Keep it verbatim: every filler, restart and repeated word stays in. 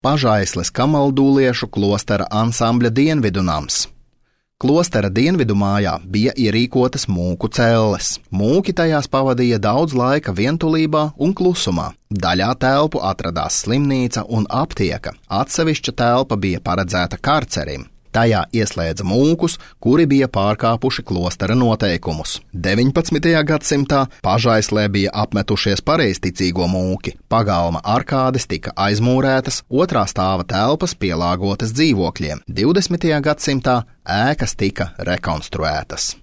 Pažaisles kamaldūliešu klostera ansambļa dienvidu nams. Klostera dienvidu mājā bija ierīkotas mūku celles. Mūki tajās pavadīja daudz laika vientulībā un klusumā. Daļā telpu atradās slimnīca un aptieka. Atsevišķa telpa bija paredzēta karcerim. Tajā ieslēdza mūkus, kuri bija pārkāpuši klostera noteikumus. deviņpadsmitajā gadsimtā Pažaislē bija apmetušies pareizticīgo mūki. Pagalma arkādes tika aizmūrētas, otrā stāva telpas pielāgotas dzīvokļiem. divdesmitajā gadsimtā ēkas tika rekonstruētas.